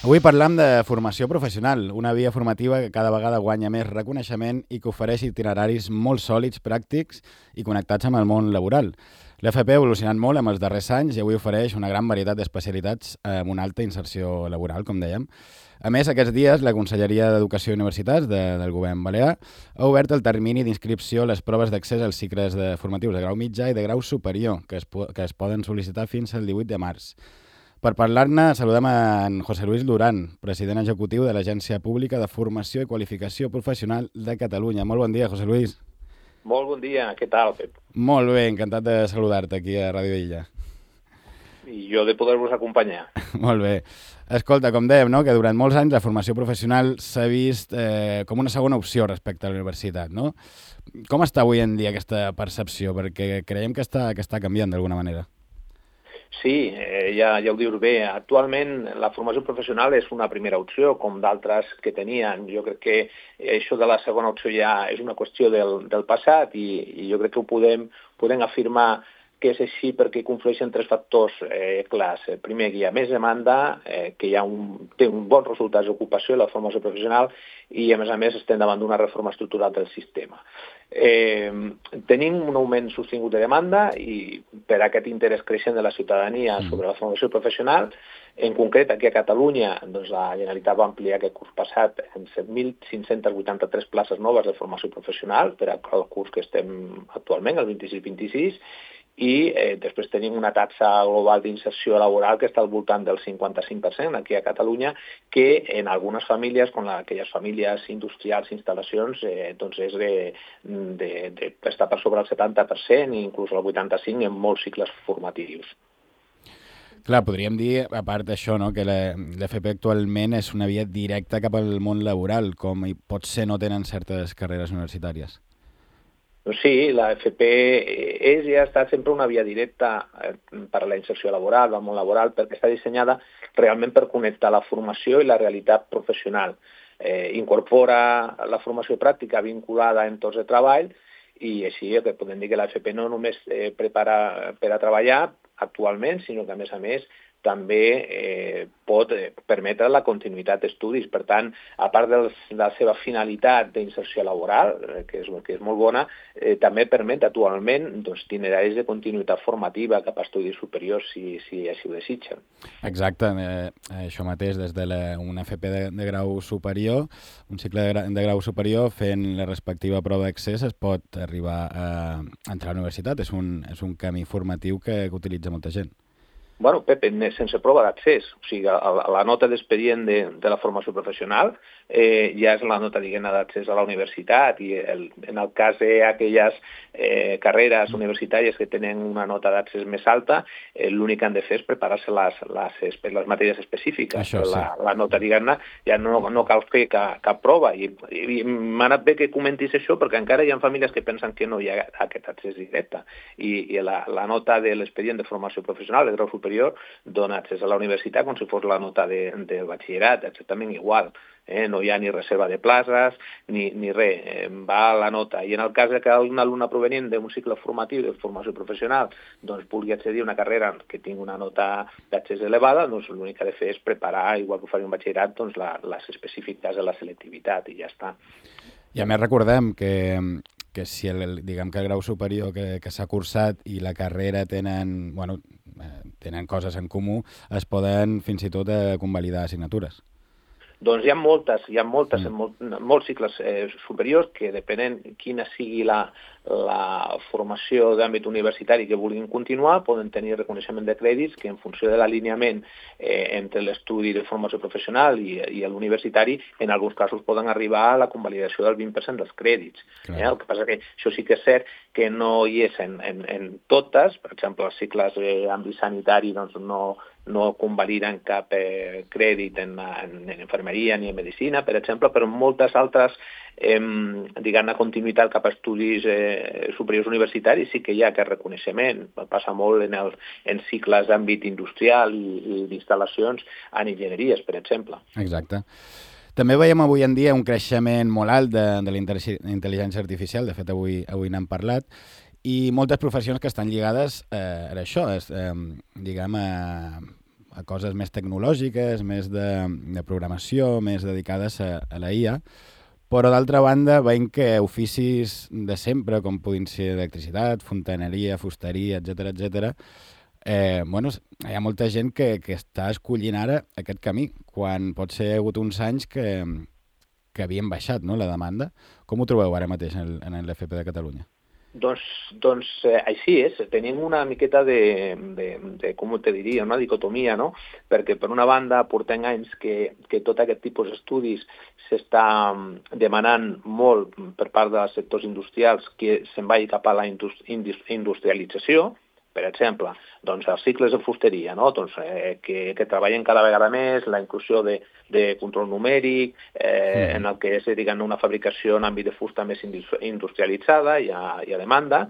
Avui parlam de formació professional, una via formativa que cada vegada guanya més reconeixement i que ofereix itineraris molt sòlids, pràctics i connectats amb el món laboral. L'FP ha evolucionat molt en els darrers anys i avui ofereix una gran varietat d'especialitats amb una alta inserció laboral, com dèiem. A més, aquests dies, la Conselleria d'Educació i Universitats del Govern Balear ha obert el termini d'inscripció a les proves d'accés als cicles formatius de grau mitjà i de grau superior, que es poden sol·licitar fins al 18 de març. Per parlar-ne, saludem en José Luis Duran, president executiu de l'Agència Pública de Formació i Qualificació Professional de Catalunya. Molt bon dia, José Luis. Molt bon dia, què tal, Pep? Molt bé, encantat de saludar-te aquí a Ràdio Illa. I jo de poder-vos acompanyar. Molt bé. Escolta, com dèiem, no?, que durant molts anys la formació professional s'ha vist com una segona opció respecte a la universitat, no? Com està avui en dia aquesta percepció? Perquè creiem que està canviant d'alguna manera. Sí, ja ho dius bé. Actualment la formació professional és una primera opció, com d'altres que tenien. Jo crec que això de la segona opció ja és una qüestió del passat i jo crec que ho podem afirmar que és així perquè conflueixen tres factors clars. Primer, que hi ha més demanda, que té un bon resultat d'ocupació la formació professional i, a més, estem davant d'una reforma estructural del sistema. Tenim un augment sostingut de demanda i per aquest interès creixent de la ciutadania sobre la formació professional. En concret, aquí a Catalunya, doncs, la Generalitat va ampliar aquest curs passat en 7.583 places noves de formació professional per al curs que estem actualment, el 26-26, i després tenim una taxa global d'inserció laboral que està al voltant del 55% aquí a Catalunya, que en algunes famílies, com aquelles famílies industrials, instal·lacions, doncs és d'estar per sobre el 70% i inclús el 85% en molts cicles formatius. Clar, podríem dir, a part d'això, no?, que l'FP actualment és una via directa cap al món laboral, com potser no tenen certes carreres universitàries. Sí, la FP és i ha estat sempre una via directa per a la inserció laboral, al món laboral, perquè està dissenyada realment per connectar la formació i la realitat professional. Incorpora la formació pràctica vinculada a entorns de treball i així que podem dir que la FP no només prepara per a treballar actualment, sinó que a més també pot permetre la continuïtat d'estudis. Per tant, a part de la seva finalitat d'inserció laboral, que és molt bona, també permet actualment itineraris de continuïtat formativa cap a estudis superiors, si així ho desitgen. Exacte, això mateix, des d'una FP de grau superior, un cicle de grau superior, fent la respectiva prova d'accés, es pot arribar a entrar a la universitat. És un camí formatiu que utilitza molta gent. Bueno, Pepe, sense prova d'accés. O sigui, la nota d'expedient de la formació professional ja és la nota, diguem-ne, d'accés a la universitat i en el cas d'aquelles carreres universitàries que tenen una nota d'accés més alta, l'únic que han de fer és preparar-se les matèries específiques. Això, sí. La nota, diguem-ne, ja no cal fer cap prova. I m'ha anat bé que comentis això perquè encara hi ha famílies que pensen que no hi ha aquest accés directe. I la nota de l'expedient de formació professional, de grau superior, dona accés a la universitat com si fos la nota del batxillerat, exactament igual. No hi ha ni reserva de places ni res, va la nota. I en el cas que un alumne provenient d'un cicle formatiu de formació professional doncs vulgui accedir a una carrera que tingui una nota d'accés elevada, doncs l'únic que ha de fer és preparar, igual que ho faria un batxillerat, doncs les específiques de la selectivitat i ja està. I a més recordem que si diguem que el grau superior que s'ha cursat i la carrera tenen coses en comú, es poden fins i tot convalidar assignatures. Doncs hi ha moltes en molts cicles superiors que, depenent quina sigui la formació d'àmbit universitari que vulguin continuar, poden tenir reconeixement de crèdits que, en funció de l'alineament entre l'estudi de formació professional i l'universitari, en alguns casos poden arribar a la convalidació del 20% dels crèdits. El que passa que això sí que és cert que no hi és en totes. Per exemple, els cicles d'àmbit sanitari doncs no convaliden cap crèdit en infermeria ni en medicina, per exemple, però en moltes altres, diguem-ne, continuïtat cap a estudis superiors universitaris sí que hi ha aquest reconeixement. Passa molt en cicles d'àmbit industrial i d'instal·lacions en enginyeries, per exemple. Exacte. També veiem avui en dia un creixement molt alt de la intel·ligència artificial, de fet avui n'hem parlat, i moltes professions que estan lligades a això, diguem, a coses més tecnològiques, més de programació, més dedicades a la IA, però d'altra banda veiem que oficis de sempre, com puguin ser electricitat, fontaneria, fusteria, etc, bueno, hi ha molta gent que està escollint ara aquest camí, quan pot ser hagut uns anys que havien baixat, no, la demanda. Com ho trobeu ara mateix en l'FP de Catalunya? Doncs així és, tenim una miqueta de com te diria, una dicotomia, no? Perquè per una banda portem anys que tot aquest tipus d'estudis s'està demanant molt per part dels sectors industrials que se'n vagi cap a la industrialització. Per exemple, doncs els cicles de fusteria, no? Doncs, que treballen cada vegada més, la inclusió de control numèric, en el que és, diguem, una fabricació en àmbit de fusta més industrialitzada i a demanda,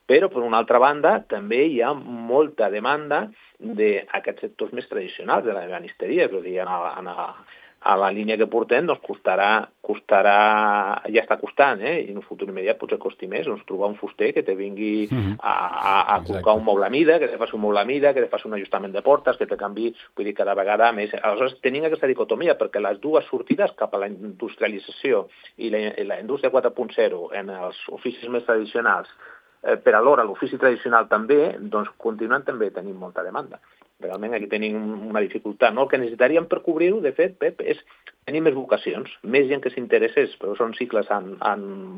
però per una altra banda també hi ha molta demanda d'aquests sectors més tradicionals de la ebenisteria, és a dir, a la línia que portem doncs costarà, ja està costant, i en un futur immediat potser costi més, doncs trobar un fuster que te vingui a col·locar un moble a mida, que te faci un moble a mida, que te faci un ajustament de portes, que te canvi, vull dir, cada vegada més. Aleshores, tenim aquesta dicotomia, perquè les dues sortides cap a la industrialització i la indústria 4.0 en els oficis més tradicionals, per alhora l'ofici tradicional també, doncs continuen també tenint molta demanda. Realment aquí tenim una dificultat, no? El que necessitaríem per cobrir-ho, de fet, Pep, és tenir més vocacions, més gent que s'interessés, però són cicles amb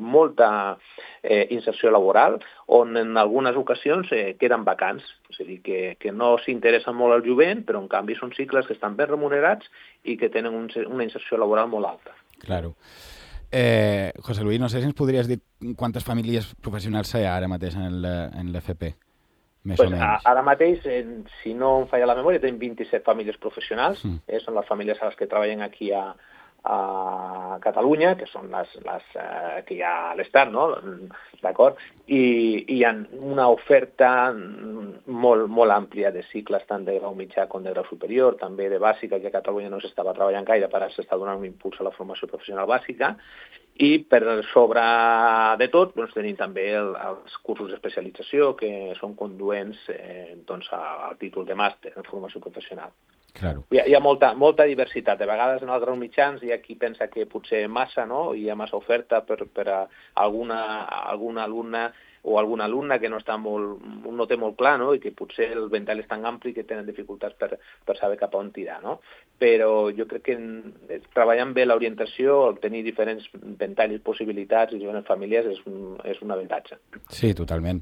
molta inserció laboral, on en algunes ocasions queden vacants, és a dir, que no s'interessen molt al jovent, però en canvi són cicles que estan ben remunerats i que tenen una inserció laboral molt alta. Claro. José Luis, no sé si ens podries dir quantes famílies professionals hi ha ara mateix en l'FP? Pues ara mateix, si no em falla la memòria, tenim 27 famílies professionals, són les famílies a les que treballen aquí a Catalunya, que són les que hi ha a l'Estat, no? D'acord? I hi ha una oferta molt àmplia de cicles, tant de grau mitjà com de grau superior, també de bàsica, que a Catalunya no s'estava treballant gaire, però s'està donant un impuls a la formació professional bàsica, i per sobre de tot doncs, tenim també els cursos d'especialització que són conduents al títol de màster en formació professional. Claro. Hi ha molta diversitat. De vegades en els graus mitjans hi ha qui pensa que potser massa, no? Hi ha massa oferta per a algun alumne o alguna alumna que no té molt clar, no? I que potser el ventall és tan ampli que tenen dificultats per saber cap a on tirar, no? Però jo crec que treballant bé l'orientació, obtenir diferents ventalls, possibilitats i diferents famílies és un avantatge. Sí, totalment.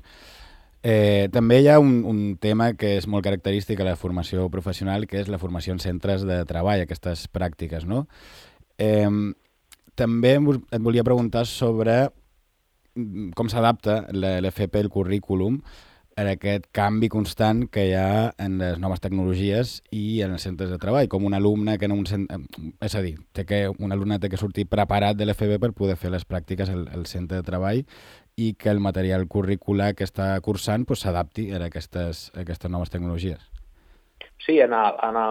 També hi ha un tema que és molt característic a la formació professional, que és la formació en centres de treball, aquestes pràctiques, no? També et volia preguntar sobre com s'adapta l'FP, el currículum, en aquest canvi constant que hi ha en les noves tecnologies i en els centres de treball, com un alumne que és a dir, un alumne té que sortir preparat de l'FP per poder fer les pràctiques al centre de treball i que el material curricular que està cursant s'adapti a aquestes noves tecnologies. Sí,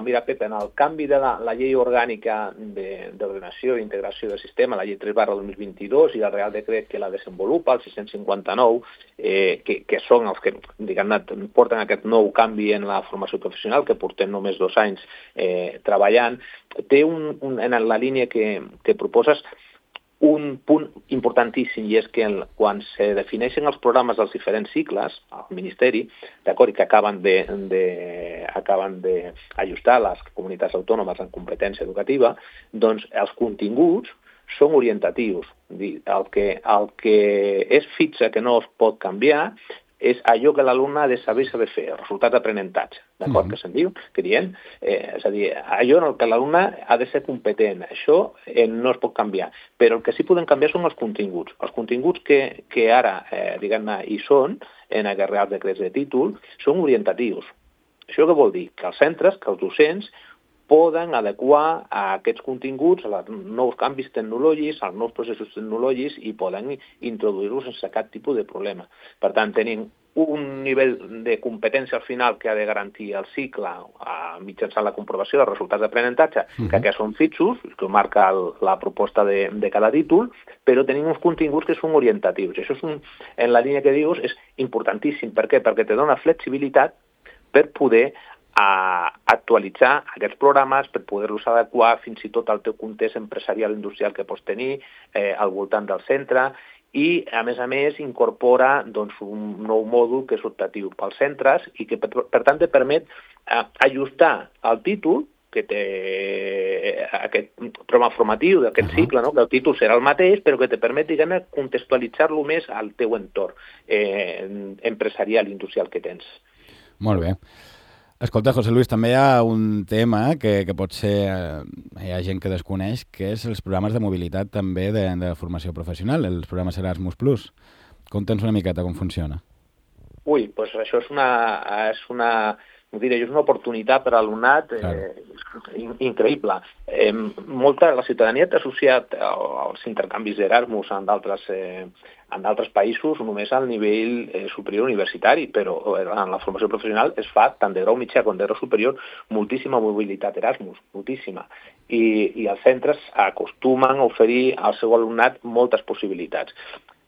mira, Pep, en el canvi de la llei orgànica d'ordenació i integració del sistema, la llei 3/2022 i el Real Decret que la desenvolupa, el 659, que són els que porten aquest nou canvi en la formació professional, que portem només 2 anys treballant, té en la línia que proposes un punt importantíssim, i és que quan se defineixen els programes dels diferents cicles al Ministeri, d'acord, i que acaben d'ajustar les comunitats autònomes en competència educativa, doncs els continguts són orientatius. El que és fixe, que no es pot canviar, és allò que l'alumne ha de saber fer, el resultat d'aprenentatge, d'acord, que se'n diu, que diem, és a dir, allò en el que l'alumne ha de ser competent, això no es pot canviar, però el que sí podem canviar són els continguts que ara, diguem-ne, hi són, en aquests reals decrets de títol, són orientatius. Això què vol dir? Que els centres, que els docents, poden adequar a aquests continguts als nous canvis tecnològics, als nous processos tecnològics i poden introduir-los sense cap tipus de problema. Per tant, tenim un nivell de competència al final que ha de garantir el cicle mitjançant la comprovació dels resultats d'aprenentatge, que són fixos, que marca la proposta de cada títol, però tenim uns continguts que són orientatius. Això en la línia que dius és importantíssim. Per què? Perquè te dona flexibilitat per poder actualitzar aquests programes per poder-los adequar fins i tot al teu context empresarial industrial que pots tenir al voltant del centre i, a més, incorpora un nou mòdul que és optatiu pels centres i que, per tant, et permet ajustar el títol que té aquest programa formatiu d'aquest cicle, no? Que el títol serà el mateix, però que te permet, diguem-ne, contextualitzar-lo més al teu entorn empresarial i industrial que tens. Molt bé. Escolta, José Luis, també hi ha un tema que potser hi ha gent que desconeix, que és els programes de mobilitat també de formació professional, els programes Erasmus+. Conta'ns una miqueta com funciona. Ui, doncs això és una oportunitat per a l'alumnat increïble. La ciutadania té associat als intercanvis d'Erasmus en d'altres països només al nivell superior universitari, però en la formació professional es fa tant de grau mitjà com de grau superior moltíssima mobilitat Erasmus, moltíssima. I els centres acostumen a oferir al seu alumnat moltes possibilitats.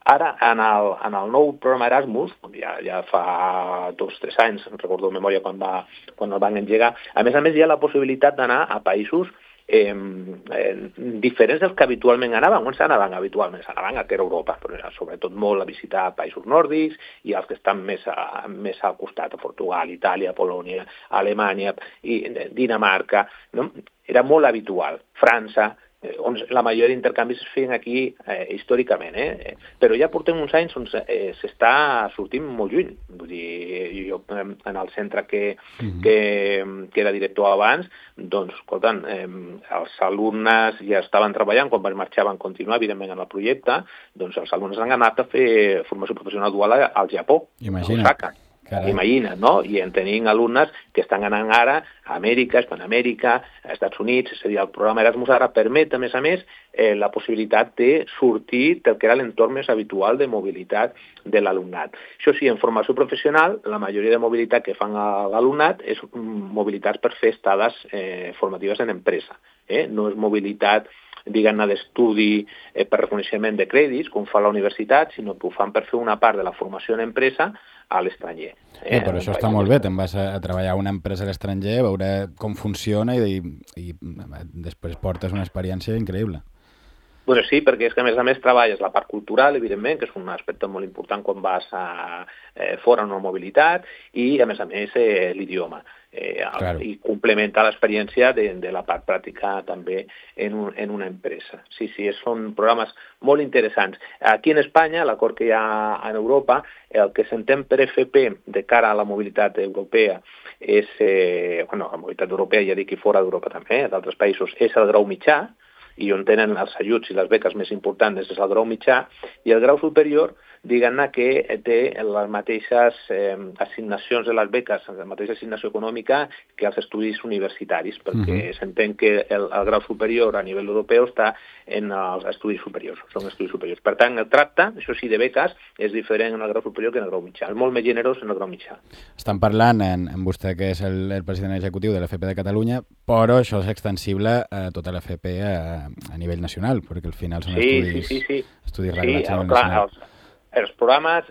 Ara, en el nou programa Erasmus, ja fa 2 o 3 anys, recordo de memòria quan el van engegar, a més hi ha la possibilitat d'anar a països diferents dels que habitualment anaven. On s'anaven habitualment? S'anaven a Europa, però sobretot molt a visitar països nòrdics i els que estan més al costat, a Portugal, Itàlia, Polònia, Alemanya, i Dinamarca. No? Era molt habitual. França, on la majoria d'intercanvis es feien aquí històricament, però ja portem uns anys on s'està sortint molt lluny. Vull dir, jo en el centre que era director abans, doncs, escolta'm, els alumnes ja estaven treballant, quan marxaven a continuar, evidentment, en el projecte, doncs els alumnes han anat a fer formació professional dual al Japó, a Osaka. Imagina't, no? I en tenim alumnes que estan anant ara a Amèrica, Hispanoamèrica, a Estats Units, és a dir, el programa Erasmus ara permet, a més, la possibilitat de sortir del que era l'entorn més habitual de mobilitat de l'alumnat. Això sí, en formació professional, la majoria de mobilitat que fan a l'alumnat és mobilitats per fer estades formatives en empresa. No és mobilitat diguem-ne d'estudi per reconeixement de crèdits, com fa la universitat, sinó que ho fan per fer una part de la formació en empresa a l'estranger. Però això està molt bé, te'n vas a treballar a una empresa a l'estranger, a veure com funciona i després portes una experiència increïble. Bueno, sí, perquè és que a més treballes la part cultural, evidentment, que és un aspecte molt important quan vas fora en una mobilitat, i a més l'idioma. I complementa l'experiència de la part pràctica també en una empresa. Sí, són programes molt interessants. Aquí en Espanya, l'acord que hi ha en Europa, el que s'entén per FP de cara a la mobilitat europea és, la mobilitat europea, ja dic, i fora d'Europa també, d'altres països, és el grau mitjà, i on tenen els ajuts i les beques més importants és el grau mitjà, i el grau superior, diguem-ne que té les mateixes assignacions de les beques, la mateixa assignació econòmica que els estudis universitaris, perquè s'entén que el grau superior a nivell europeu està en els estudis superiors, són estudis superiors. Per tant, el tracte, això sí, de beques, és diferent en el grau superior que en el grau mitjà, és molt més generós en el grau mitjà. Estan parlant amb vostè, que és el president executiu de l'FP de Catalunya, però això és extensible a tota l'FP a nivell nacional, perquè al final són estudis reglats a nivell nacional. Els programes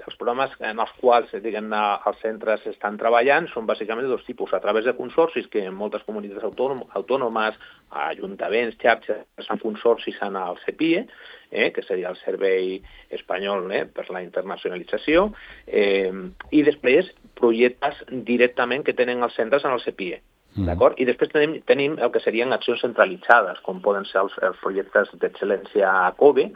en els quals els centres estan treballant són bàsicament de 2 tipus, a través de consorcis que en moltes comunitats autònomes, ajuntaments, xarxes, fan consorcis en el CEPIE, que seria el Servei Espanyol per la Internacionalització, i després projectes directament que tenen els centres en el CEPIE. D'acord? I després tenim el que serien accions centralitzades, com poden ser els projectes d'excel·lència a COBE,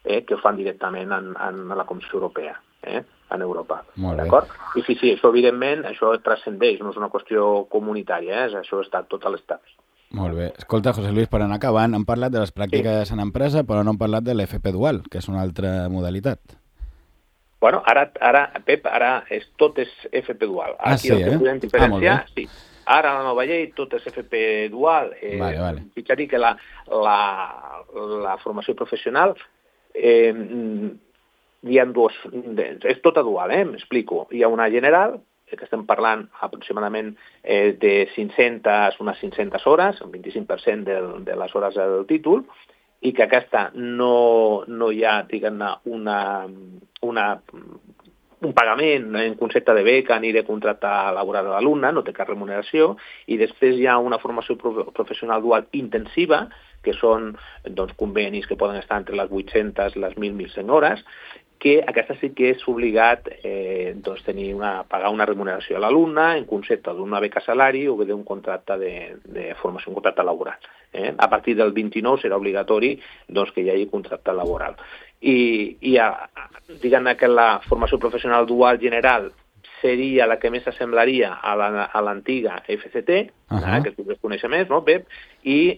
que ho fan directament en la Comissió Europea, en Europa. D'acord? I sí, això evidentment, això transcendeix, no és una qüestió comunitària, això està a tot l'Estat. Molt bé. Escolta, José Luis, per anar acabant, hem parlat de les pràctiques en empresa, però no hem parlat de l'FP dual, que és una altra modalitat. Bueno, ara, Pep, tot és FP dual. Aquí el que podem diferenciar, sí. Ara, a la nova llei, tot és FP dual. Fixa't que la formació professional hi ha dues, és tota dual, m'explico. Hi ha una general, que estem parlant aproximadament de unes 500 hores, un 25% de les hores del títol, i que aquesta no hi ha, diguem-ne, una un pagament en concepte de beca ni de contracte laboral de l'alumne, no té cap remuneració, i després hi ha una formació professional dual intensiva, que són doncs, convenis que poden estar entre les 800 i les 1.100 hores, que aquesta sí que és obligat doncs, pagar una remuneració a l'alumne en concepte d'una beca salari o bé d'un contracte de formació, un contracte laboral. A partir del 29 serà obligatori doncs, que hi hagi contracte laboral. I diguem que la formació professional dual general seria la que més s'assemblaria a l'antiga FCT, que tu coneixes més, no, Pep? I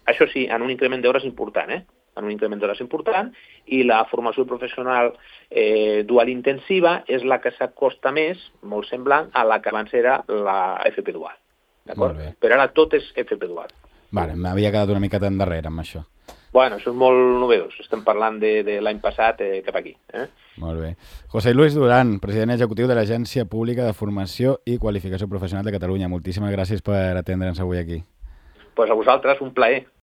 això sí, en un increment d'hores important, en un increment d'hores important, i la formació professional dual intensiva és la que s'acosta més, molt semblant, a la que abans era la FP dual. D'acord? Però ara tot és FP dual. Vale, m'havia quedat una miqueta endarrere amb això. Bueno, això és molt novedós. Estem parlant de l'any passat cap aquí. Molt bé. José Luis Duran, president executiu de l'Agència Pública de Formació i Qualificació Professional de Catalunya. Moltíssimes gràcies per atendre'ns avui aquí. Pues a vosaltres, un plaer.